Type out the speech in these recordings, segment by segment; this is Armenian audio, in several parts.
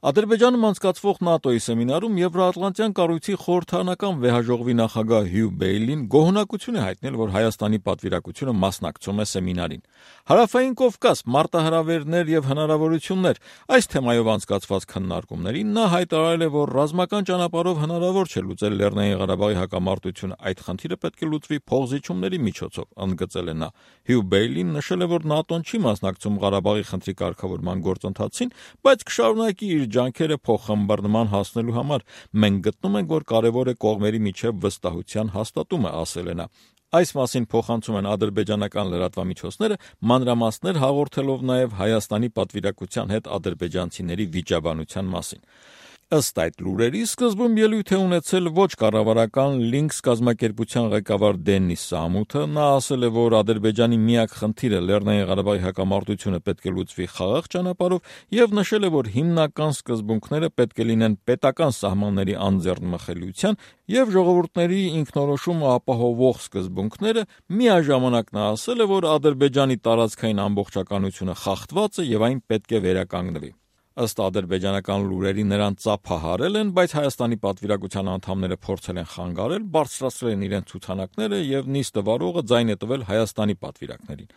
Ադրբեջանում անցկացվող ՆԱՏՕ-ի սեմինարում Եվրոատլանտյան կառույցի խորհրդարանական վեհաժողովի նախագահ Հյու Բեյլին գոհունակություն է հայտնել, որ Հայաստանի պատվիրակությունը մասնակցում է սեմինարին։ Հարավային Կովկաս, մարտահրավերներ եւ հնարավորություններ այս թեմայով անցկացված քննարկումներին նա հայտարարել է, որ ռազմական ճանապարհով հնարավոր չէ լուծել Լեռնային Ղարաբաղի հակամարտությունը, այդ խնդիրը պետք է լուծվի փոխզիջումների միջոցով, ընդգծել է նա։ Հյու Բեյլին նշել է, որ ՆԱՏՕ-ն չի մասնակցում Ղարաբաղի խնդրի կարգավորման գործընթացին, բայց կշարունակի իր ջանքերը փոխըմբռնման հասնելու համար։ Մենք գտնում ենք, որ կարևոր է կողմերի միջև վստահության հաստատումը, ասել է նա։ Այս մասին փոխանցում են ադրբեջանական լրատվամիջոցները, մանրամասներ հաղորդելով նաև Հայաստանի պատվիրակության հետ ադրբեջանցիների վիճաբանության մասին։ Ըստ այդ լուրերի, սկզբում ելույթ է ունեցել ոչ կառավարական Լինքս կազմակերպության ղեկավար Դենիս Սամութը։ Նա ասել է, որ Ադրբեջանի միակ խնդիրը Լեռնային Ղարաբաղի հակամարտությունը պետք է լուծվի խաղաղ ճանապարհով եւ նշել է, որ հիմնական սկզբունքները պետք է լինեն պետական սահմանների անձեռնմխելիության եւ ժողովուրդների ինքնորոշումը ապահովող սկզբունքները։ Միաժամանակ նա ասել է, որ Ադրբեջանի տարածքային ամբողջականությունը խախտված է եւ այն պետք է վերականգնվի։ Ըստ ադրբեջանական լուրերի նրան ծափահարել են, բայց Հայաստանի պատվիրակության անդամները փորձել են խանգարել, բարձրացրել են իրենց ցուցանակները եւ նիստը վարողը ձայն է տվել Հայաստանի պատվիրակներին։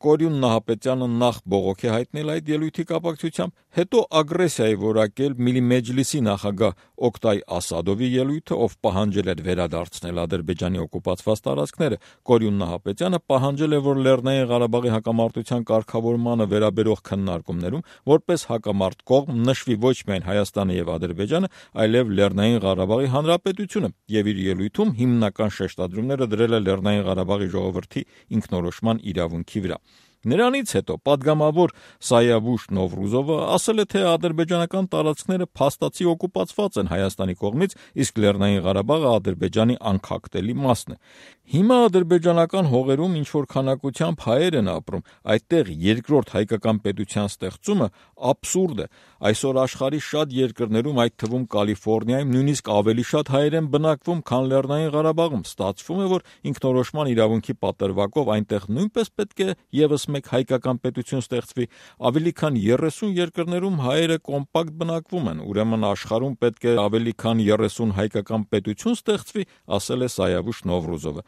Կորյուն Նահապետյանը նախ բողոք է հայտնել այդ ելույթի կապակցությամբ, հետո ագրեսիա է որակել Միլի Մեջլիսի նախագահ Օկտայ Ասադովի ելույթը, ով պահանջել էր վերադարձնել Ադրբեջանի օկուպացված տարածքները։ Կորյուն Նահապետյանը պահանջել է, որ Լեռնային Ղարաբաղի հակամարտության կարգավորմանը վերաբերող քննարկումներում որպես հակամարտ կողմ նշվի ոչ միայն Հայաստանը եւ Ադրբեջանը, այլև Լեռնային Ղարաբաղի Հանրապետությունը, եւ իր ելույթում հիմնական շեշտադրումները դրել է Լեռնային Ղարաբաղի ժողովրդի ինքնորոշման իրավունքի վրա։ Նրանից հետո падգամավոր Սայավուշ Նովրուզովը ասել է, թե ադրբեջանական տարածքները փաստացի օկուպացված են Հայաստանի կողմից, իսկ Լեռնային Ղարաբաղը Ադրբեջանի անքակտելի մասն է։ Հիմա ադրբեջանական հողերում ինչ-որ քանակությամբ հայեր են ապրում, այդտեղ երկրորդ հայկական պետության ստեղծումը абսուրդ է։ Այսօր աշխարհի շատ երկրներում, այդ թվում Կալիֆոռնիայում, նույնիսկ ավելի շատ հայեր են բնակվում, քան Լեռնային Ղարաբաղում։ Ստացվում է, որ ինքնորոշման իրավունքի պատրվակով այնտեղ նույնպես պետք է եւս մեկ հայկական պետություն ստեղծվի։ Ավելի քան 30 երկրներում հայերը կոմպակտ բնակվում են, ուրեմն աշխարհում պետք է ավելի քան 30 հայկական պետություն ստեղծվի, ասել է Սայավուշ Նովրուզովը։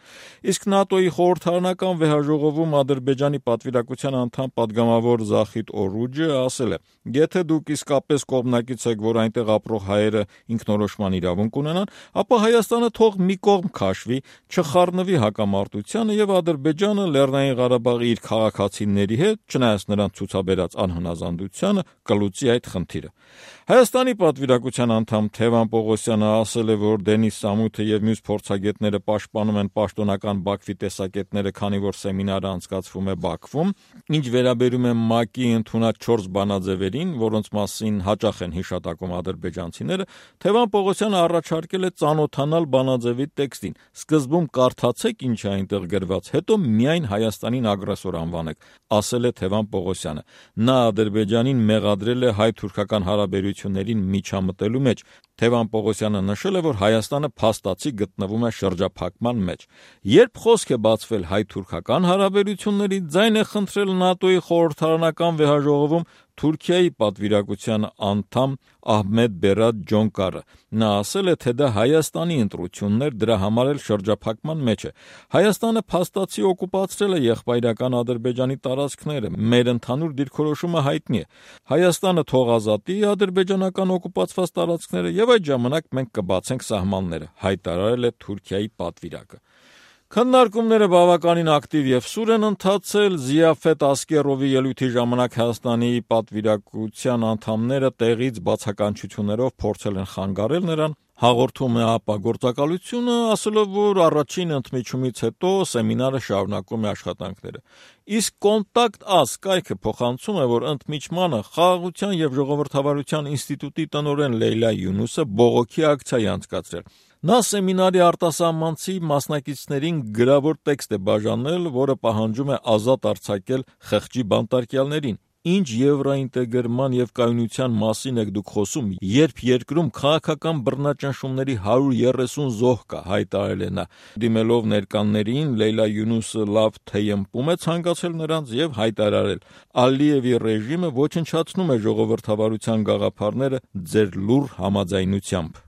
Իսկ ՆԱՏՕ-ի խորհրդարանական վեհաժողովում Ադրբեջանի պատվիրակության անդամ падգամավոր Զախիդ Օրուջը ասել է. եթե դուք իսկապես կողմնակից եք, որ այնտեղ ապրող հայերը ինքնորոշման իրավունք ունենան, ապա Հայաստանը թող մի կողմ քաշվի, չխառնվի հակամարտությանը եւ Ադրբեջանը Լեռնային Ղարաբաղի իր քաղաքացիների հետ, չնայած նրանց ցուցաբերած անհնազանդությանը, կլուծի այդ խնդիրը։ Հայաստանի պատվիրակության անդամ Թևան Պողոսյանը ասել է, որ Դենիս Սամութը եւ մյուս փորձագետները պաշտպանում են պաշտոնական Բաքվի տեսակետները, քանի որ սեմինարը անցկացվում է Բաքվում։ Ինչ վերաբերում է ՄԱԿ-ի ընդունած 4 բանաձևերին, որոնց մասին հաճախ են հիշատակում ադրբեջանցիները, Թևան Պողոսյանը առաջարկել է ծանոթանալ բանաձևի տեքստին։ Սկզբում կարդացեք ինչ է այնտեղ գրված, հետո միայն Հայաստանին ագրեսոր անվանեք, ասել է Թևան Պողոսյանը։ Նա Ադրբեջանին մեղադրել է հայ-թուրքական հարաբերություններին միջամտելու մեջ։ Թևան Պողոսյանը նշել է, որ Հայաստանը փաստացի գտնվում է շրջափակման մեջ։ Երբ խոսք է բացվել հայ-թուրքական հարաբերությունների, ձայն է խնդրել ՆԱՏՕ-ի խորհրդարանական վեհաժողովում Թուրքիայի պատվիրակության անդամ Ահմեդ Բերատ Ջոնկարը։ Նա ասել է, թե դա Հայաստանի ընտրությունն էր, դրա համար էլ շրջափակման մեջ է։ Հայաստանը փաստացի օկուպացրել է եղբայրական Ադրբեջանի տարածքները։ Մեր ընդհանուր դիրքորոշումը հայտնի է։ Հայաստանը թող ազատի ադրբեջանական օկուպացված տարածքները եւ այդ ժամանակ մենք կբացենք սահմանները, հայտարարել է Թուրքիայի պատվիրակը։ Քննարկումները բավականին ակտիվ եւ սուր են ընթացել։ Զիաֆետ Ասկերովի ելույթի ժամանակ Հայաստանի պատվիրակության անդամները տեղից բացականչություններով փորձել են խանգարել նրան։ Հաղորդում է ԱՊԱ գործակալությունը, ասելով, որ առաջին ընդմիջումից հետո սեմինարը շարունակում է աշխատանքները։ Իսկ Կոնտակտ Աս կայքը փոխանցում է, որ ընդմիջմանը Խաղաղության եւ ժողովրդավարության ինստիտուտի տնօրեն Լեյլա Յունուսը բողոքի ակցիա է անցկացրել։ Նա սեմինարի արտասահմանցի մասնակիցներին գրավոր տեքստ է բաժանել, որը պահանջում է ազատ արձակել խղճի բանտարկյալներին։ ինչ եվրոինտեգրման եւ կայունության մասին եք դուք խոսում, երբ երկրում քաղաքական բռնաճնշումների 130 զոհ կա, հայտարարել է նա։ Դիմելով ներկաններին, Լեյլա Յունուսը լավ թեյմպում է ցանկացել նրանց եւ հայտարարել. Ալիևի ռեժիմը ոչնչացնում է ժողովրդավարության գաղափարները ձեր լուռ համաձայնությամբ։